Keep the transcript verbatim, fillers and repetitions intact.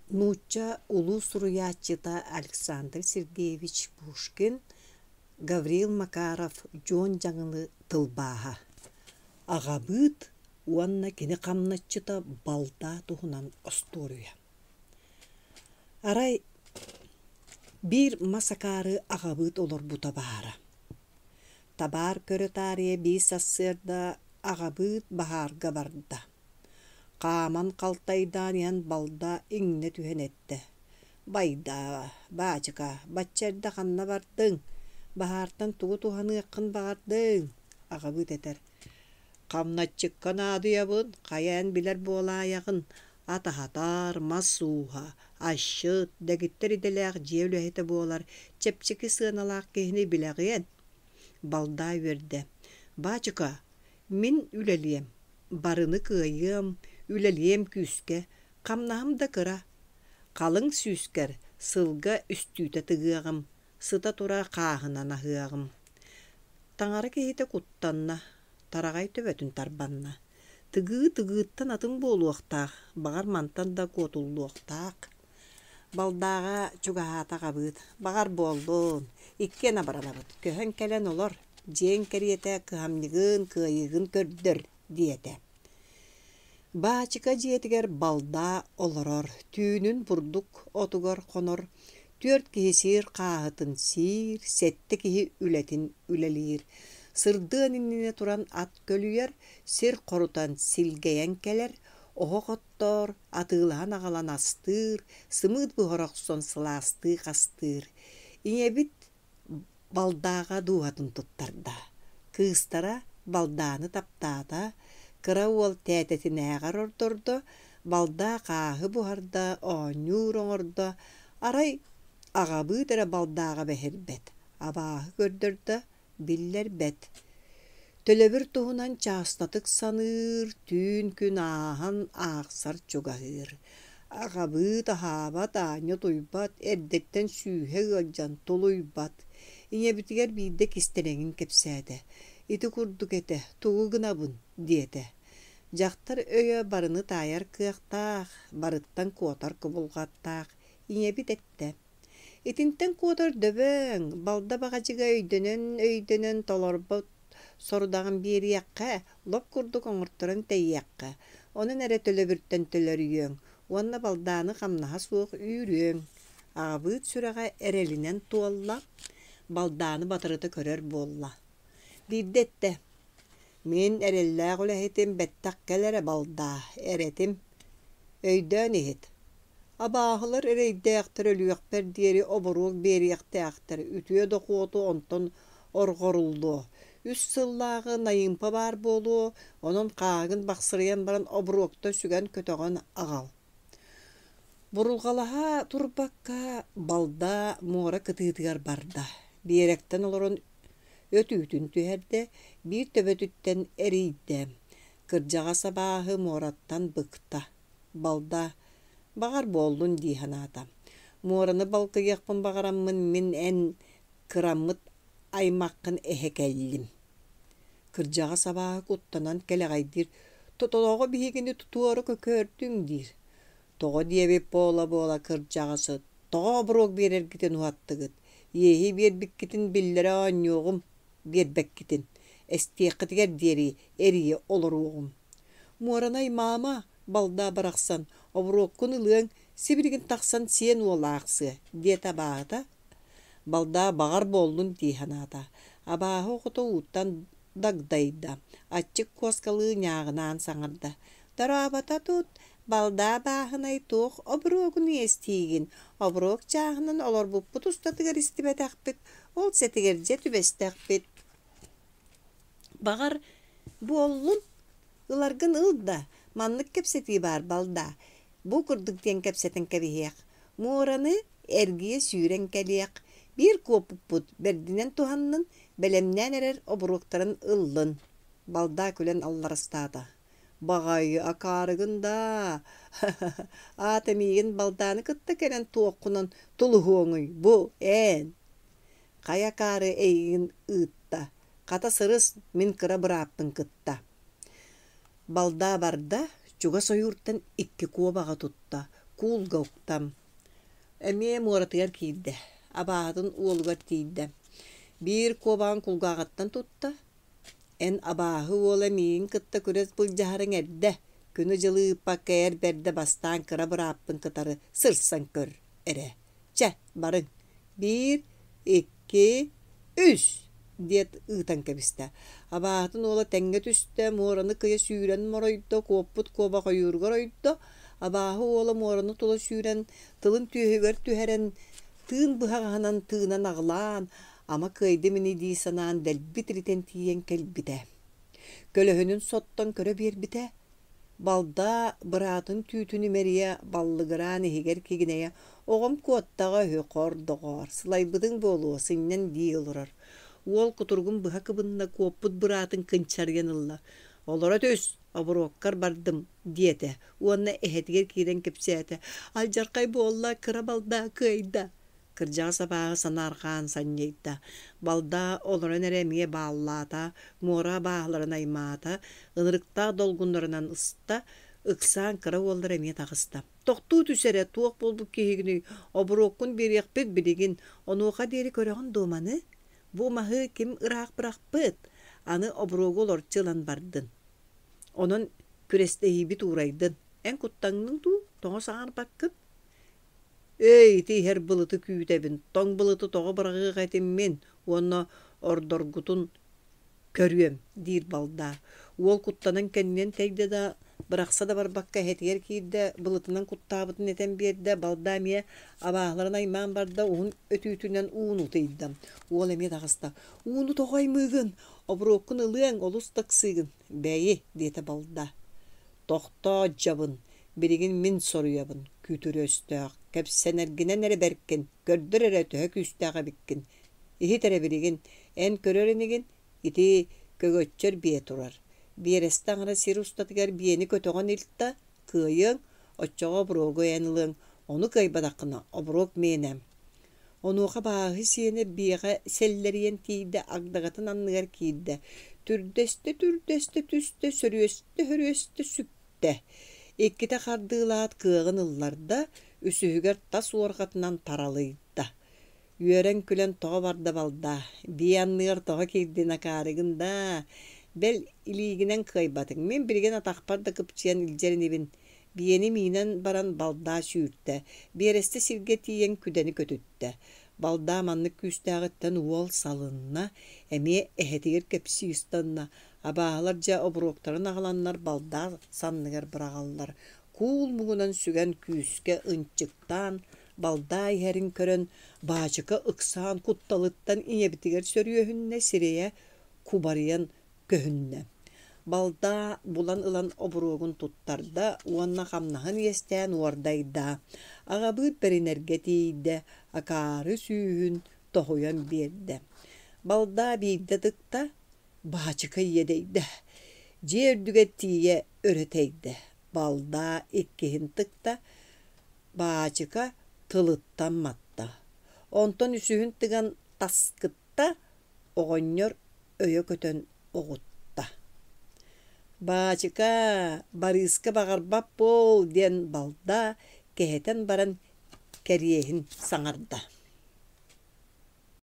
Нуучча улуу суруйааччыта Александр Сергеевич Пушкин, Гаврил Макаров Дьуон Дьаҥылы тылбааһа Аҕабыыт уонна кини хамначчыта Балдаа туһунан остуоруйа Арай биир мас акаары аҕабыыт олорбута баара. Табаар көрө таарыйа биир сарсыарда аҕабыыт баһаарга барда. Хааман халтайдаан иһэн балда иҥнэ түһэн эттэ: «Байдаа, баачыка, бачча эрдэ ханна бардыҥ? Баһаартан тугу туһаныаххын баҕардыҥ?» Аҕабыыт этэр: «Хамначчыкка наадыйабын, хайа эн билэр буолаайаҕын, ат аһатар, мас ууһа, асчыт, дэгиттэр идэлээх дьиэ үлэһитэ буолар, чэпчэки сыаналаах киһини билэҕиэн?» Балдаа үөрдэ: «Баачыка, мин үлэлиэм, барыны кыайыам, үлэлиэм күүскэ, хамнаһым да кыра. Халыҥ сүүскэр сылга үстүүтэ тыгыаҕым, сыта-тура хааһынан аһыаҕым». Таҥара киһитэ куттанна, тараҕай төбөтүн тарбанна. Тыгыы тыгыыттан атын буолуохтаах, баҕар мантан да куотуллуохтаах. Балдааҕа чугаһаата аҕабыыт, баҕар буоллун, иккиэн абыранабыт, көһөн кэлэн олор, дьиэҥ кэриэтэ кыһамньыгын, кыайыыгын көрдөр диэтэ. Баачыка дьиэтигэр балдаа олорор, түүнүн бурдук отугар хонор, түөрт киһи сиир хааһытын сиир, сэттэ киһи үлэтин үлэлиир. Сырдыан иннинэ туран ат көлүйэр, сир хорутан силгэйэн кэлэр, оһох оттоор, атыылаһан аҕалан астыыр, сымыыт буһара охсон сылаастыы хастыыр. Ийэбит Балдааҕа дууһатын туттарда, кыыстара Балдааны таптаата, кыра уол тээтэтинээҕэр ордордо, Балдаа хааһы буһарда, оонньуур оҥордо, арай аҕабыыт эрэ Балдааҕа бэһирбэт, абааһы көрдөрдө, биллэрбэт. Төлөбүр туһунан чаастатык саныыр, түүн-күн ааһан аахсар чугаһыыр. Аҕабыыт аһаабат, аанньа утуйбат, эрдэттэн сүүһэ ыалдьан тулуйбат. Ийэбитигэр биирдэ кистэлэҥин кэпсээтэ: «Ити курдук этэ, тугу гынабын?» диэтэ. Дьахтар өйө барыны таайар кыахтаах, барыттан куотар кубулҕаттаах. Ийэбит эттэ: Итинтэн куотар дөбөҥ, балда баҕадьыга өйдөнөн-өйдөнөн толорбот сорудаҕын биэриэххэ, лоп курдук оҥорторон тэйиэххэ, онон эрэ төлөбүртэн төлөрүйүөҥ уонна балдааны хамнаһа суох үүрүөҥ. Аҕабыыт сүрэҕэ эрэлинэн туолла, балдааны батарыта көрөр буолла. Биирдэ эттэ: «Мин эрэллээх үлэһитим бэттэх кэл эрэ балдаа, эрэтим. Өйдөөн иһит, Абааһылар эрэйдээхтэр өлүөхпэр диэри оборуок биэриэхтээхтэр, үтүө дохуоту онтон орҕоруллуо, үс сыллааҕы найыымпа баар буолуо, онон хааһыгын бахсырыйан баран оборуокта сүгэн-көтөҕөн аҕал Бурулҕалаһа турбакка балда муора кытыытыгар барда, биэрэктэн олорон өтүүтүн түһэрдэ, биир төбөтүттэн эрийдэ, кырдьаҕас абааһы муораттан быкта, балда баҕар буоллун дии санаата. Муораны балкыйыахпын баҕараммын мин эн кыраммыт аймаххын эһэ кэллим. Кырдьаҕас абааһы куттанан кэлэҕэйдиир: «Тотолоҕо биһигини тутуора көкөөрдүҥ» диир. Тоҕо диэбит буола-буола кырдьаҕасы, тоҕо оборуок биэрэргитин уһаттыгыт, иэһи биэрбиккитин биллэрэ оонньуоҕум, биэрбэккитин, эстиэххитигэр диэри эрийэ олоруоҕум. Муоранай маама, балдаа барахсан, оборуоккун ылыаҥ, сибилигин тахсан сиэн уола аахсыа, диэтэ абааһыта. Балдаа баҕар буоллун дии санаата. Абааһы оҕото ууттан дагдайда, аччык куоскалыы ньааҕынаан саҥарда: «Дорообото тут, балдаа бааһынай туох оборуогун иэстиигин, оборуок чааһынан олорбуппут устатыгар истибэтэхпит, ол сэтигэр дьэ түбэстэхпит. Баҕар, буоллун, ыларгын ыл да, маннык кэпсэтии баар балдаа, бу курдук диэн кэпсэтэн кэбиһиэх, муораны эргийэ сүүрэн кэлиэх, биир куоппуппут бэрдинэн туһаннын, бэлэмнээн эрэр оборуоктарын ыллын» Балдаа күлэн алларастаата: «Баҕайы акаарыгын даа, аата миигин балдааны кытта кэлэн туоххунан тулуһуоҥуй бу, эн?» Хайа акаары эйигин ыытта, хата сырыс мин кыра бырааппын кытта Балдаа барда, чугас ойууртан икки куобаҕы тутта, Куулга укта. Эмиэ муоратыгар киирдэ, абааһытын уолугар тиийдэ. Биир куобаҕын кулгааҕыттан тутта: «Эн абааһы уола миигин кытта күрэс былдьаһарыҥ эрдэ, күнү-дьылы ыыппакка эр бэрдэ бастаан кыра бырааппын кытары сырсан көр эрэ. Чэ, барыҥ. Биир, икки, үс!» диэт ыытан кэбистэ. Абааһытын уола тэҥҥэ түстэ, муораны кыйа сүүрэн моройдо, куоппут куобах ойууругар ойдо. Абааһы уола муораны тула сүүрэн, тылын түөһүгэр түһэрэн, тыын быһаҕаһынан тыынан аҕылаан, ама кыайдым ини дии санаан дэлби тиритэн тиийэн кэлбитэ. Көлөһүнүн соттон көрө биэрбитэ, балда быраатын түүтүн имэрийэ баллыгыраан иһигэр кигинэйэ «Оҕом куоттаҕа үһү, хор доҕоор, сылайбытыҥ буолуо, сынньан» дии олорор. Уол кутуругун быһа кыбынна, куоппут быраатын кынчарыйан ылла: «Олоро түс, оборуоккар бардым» диэтэ уонна эһэтигэр киирэн кэпсээтэ: «Алдьархай буолла, кыра балда кыайда» Кырдьаҕас абааһы санаарҕаан санньыйда, балда олорон эрэ эмиэ бааллаата, муора абааһыларын аймаата, ынырыктаах долгуннарынан ыста, ыксаан кыра уоллара эмиэ таҕыста. «Тохтуу түс эрэ, туох буолбут киһигиний, оборуоккун биэриэхпит билигин, онуоха диэри көрөҕүн дуо маны? Бу маһы ким ыраах бырахпыт, аны оборуогу олорчу ылан бардын. Онон күрэстэһиибит уурайдын. Эн куттаҥныҥ дуу, тоҕо саҥарбаккын?» «Эй, ити иһэр былыты күүтэбин, тоҥ былыты тоҕо быраҕыах этим мин уонна ордоргутун көрүөм» диир балдаа. Уол куттанан кэннинэн тэйдэ да, бырахса да барбакка эһэтигэр киирдэ, былытынан куттаабытын этэн биэрдэ, балдаа эмиэ абааһыларын аймаан барда, уһун өтүүтүнэн ууну ытыйда. Уол эмиэ таҕыста: «Ууну тоҕо аймыыгын? Оборуоккун ылыаҥ, олус да ыксыыгын». «Бэйи» диэтэ балдаа. «Тохтоо, дьабын, билигин мин соруйабын, күтүр өстөөх, кэпсэнэргинэн эрэ бэркин, көрдөр эрэ төһө күүстээх эбиккин. Иһит эрэ билигин, эн көрөр инигин, ити көгөччөр биэ турар. Биэрэстэ аҥара сир устатыгар биэни көтөҕөн илт да, кыайыаҥ, оччоҕо оборуогу эн ылыаҥ, ону кыайбатаххына, оборуок миэнэ». Онуоха абааһы сиэнэ биэҕэ сэллэрийэн тиийдэ, агдагатын анныгар киирдэ, түрдэстэ-түрдэстэ түстэ, сөрүөстэ-сөрүөстэ сүктэ. Иккитэ хардыылаат кыаҕын ылларда, үсүһүгэр тас уорҕатынан таралыйда. Үөрэн-күлэн тоҕо барда балдаа, биэ анныгар тоҕо киирдин акаарыгын даа, бэл илиигинэн кыайбатыҥ, мин билигин атахпар да кыпчыйан илдьэр инибин. Биэни миинэн баран балдаа сүүртэ, биэрэстэ сиргэ тиийэн күдэни көтүттэ. Балдаа маннык күүстээҕиттэн уол салынна, эмиэ эһэтигэр кэпсии ыстанна. Абааһылар дьэ оборуоктарын аҕаланнар балдаа санныгар быраҕаллар. Куул муҥунан сүгэн күүскэ ынчыктаан, балдаа иһэрин көрөн, баачыка ыксаан кутталыттан ийэбитигэр сөрүөһүннэ, сирэйэ кубарыйан көһүннэ. Балдаа булан ылан оборуогун туттарда уонна хамнаһын иэстээн уордайда. Аҕабыыт бэринэргэ тиийдэ, акаары сүүһүн тоһуйан биэрдэ. Балдаа биирдэ тыкта, баачыка иэдэйдэ. Дьиэ үрдүгэр тиийэ өрө тэйдэ. Балдаа иккиһин тыкта, баачыка тылыттан матта. Онтон үсүһүн тыган таскытта, оҕонньор өйө көтөн оҕутта. «Баачыка, Барыыска баҕарбат буол» диэн балдаа кэһэтэн баран кэриэһин саҥарда.